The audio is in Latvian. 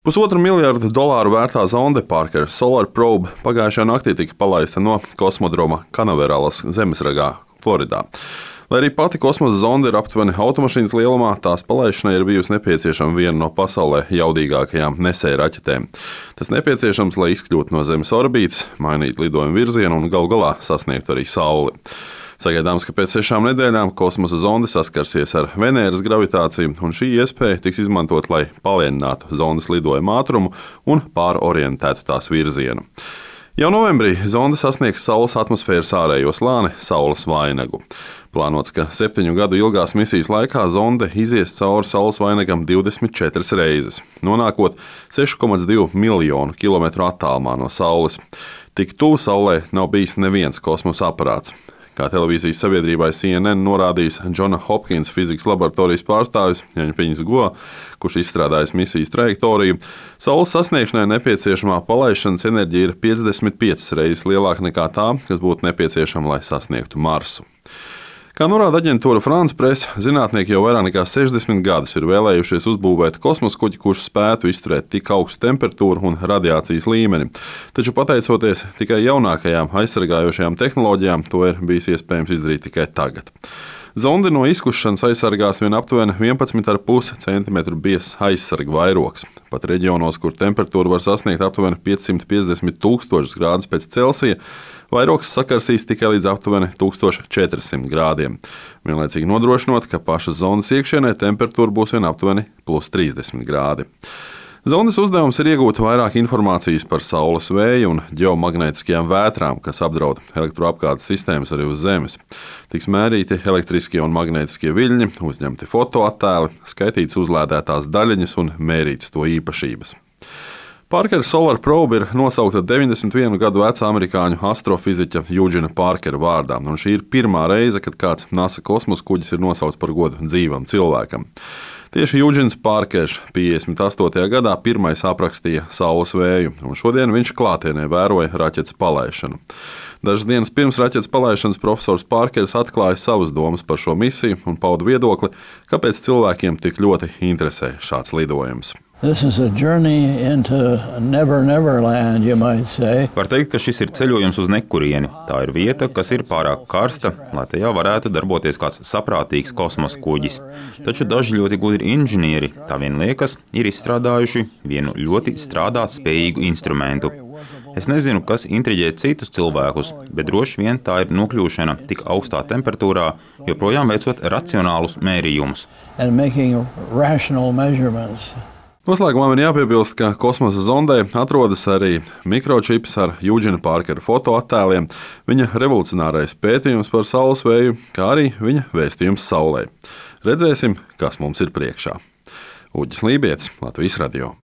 $1,5 miljardu vērtā zonde Parker Solar Probe pagājušajā naktī tika palaista no kosmodroma Kanaveralas zemesragā, Floridā. Lai arī pati kosmosa zonde ir aptuveni automašīnas lielumā, tās palaišanai ir bijusi nepieciešama viena no pasaulē jaudīgākajām nesēju raķetēm. Tas nepieciešams, lai izkļūtu no Zemes orbītas, mainītu lidojumu virzienu un galu galā sasniegtu arī Sauli. Sagaidāms, ka pēc 6 nedēļām kosmosa zonde saskarsies ar Venēras gravitāciju, un šī iespēja tiks izmantot, lai palielinātu zondes lidojuma ātrumu un pārorientētu tās virzienu. Jau novembrī zonde sasniegs Saules atmosfēras ārējo slāni Saules vainagu. Plānots, ka 7 gadu ilgās misijas laikā zonde izies cauri Saules vainagam 24 reizes, nonākot 6,2 miljonu kilometru attālumā no Saules. Tik tuvu Saulei nav bijis neviens kosmosa aparāts. Kā televīzijas sabiedrībai CNN norādījis Džona Hopkins fizikas laboratorijas pārstāvis Jaņpiņas Go, kurš izstrādājis misijas trajektoriju, Saules sasniegšanai nepieciešamā palaišanas enerģija ir 55 reizes lielāka nekā tā, kas būtu nepieciešama, lai sasniegtu Marsu. Kā norāda aģentūra France Press, zinātnieki jau vairāk nekā 60 gadus ir vēlējušies uzbūvēt kosmosa kuģi, kurš spētu izturēt tik augstu temperatūru un radiācijas līmeni. Taču pateicoties tikai jaunākajām aizsargājošajām tehnoloģijām, to ir bijis iespējams izdarīt tikai tagad. Zonde no izkušanas aizsargās vien aptuveni 11,5 cm biezs aizsarga vairogs. Pat reģionos, kur temperatūra var sasniegt aptuveni 550,000 grādus pēc Celsija, vairogs sakarsīs tikai līdz aptuveni 1400 grādiem. Vienlaicīgi nodrošinot, ka pašas zonas iekšienē temperatūra būs vien aptuveni +30 grādi. Zondes uzdevums ir iegūt vairāk informācijas par Saules vēju un ģeomagnētiskajām vētrām, kas apdraud elektroapgādes sistēmas arī uz Zemes. Tiks mērīti elektriskie un magnētiskie viļņi, uzņemti fotoattēli, skaitītas uzlādētās daļiņas un mērītas to īpašības. Parker Solar Probe ir nosaukta 91 gadu veca amerikāņu astrofiziķa Eugena Parkera vārdā, un šī ir pirmā reize, kad kāds NASA kosmosa kuģis ir nosaukts par godu dzīvam cilvēkam. Tieši Eugens Parkers 58. gadā pirmais aprakstīja Saules vēju, un šodien viņš klātienē vēroja raķetes palaišanu. Dažas dienas pirms raķetes palaišanas profesors Parkers atklāja savas domas par šo misiju un pauda viedokli, kāpēc cilvēkiem tik ļoti interesē šāds lidojums. This is a journey into never, never land, you might say. Var teikt, ka šis ir ceļojums uz nekurieni. Tā ir vieta, kas ir pārāk karsta, lai tajā varētu darboties kāds saprātīgs kosmosa kuģis. Taču daži ļoti gudri inženieri, tā vien liekas, ir izstrādājuši vienu ļoti strādāt spējīgu instrumentu. Es nezinu, kas intriģē citus cilvēkus, bet droši vien tā ir nokļūšana tik augstā temperatūrā, joprojām veicot racionālus mērījumus. And making rational measurements. Noslēgumā man jāpiebilst, ka kosmosa zondē atrodas arī mikročips ar Eugena Parkera fotoattēliem, viņa revolucionārais pētījums par Saules vēju, kā arī viņa vēstījums Saulei. Redzēsim, kas mums ir priekšā. Uģis Lībietis, Latvijas radio.